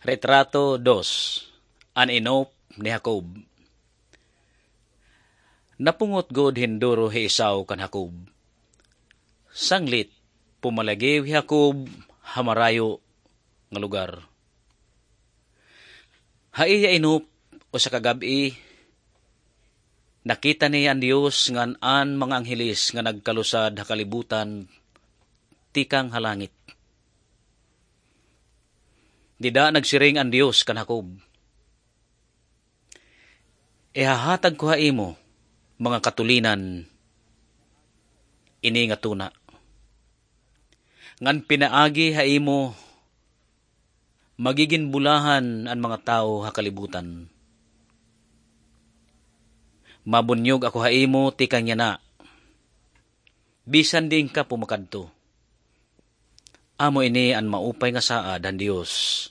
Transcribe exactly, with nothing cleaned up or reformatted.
Retrato dos, an inop ni Jacob. Napungot gud hin duro hi Esau kan Jacob. Sanglit, pumalagiw hi Jacob ha marayo nga lugar. Ha iya inop, usa ka gab-i, nakita niya an Dios ngan an mga angheles nga nagkalusad ha kalibutan tikang ha langit. Dida nagsiring an Dios kan Jacob, "Ihahatag ko ha imo, mga katulinan, ini nga tuna, ngan pinaagi ha imo, magigin bulahan an mga tawo ha kalibutan. Mabunyog ako ha imo tikang yana, bisan diin ka pumakadto." Amo ini an maupay nga saad han Dios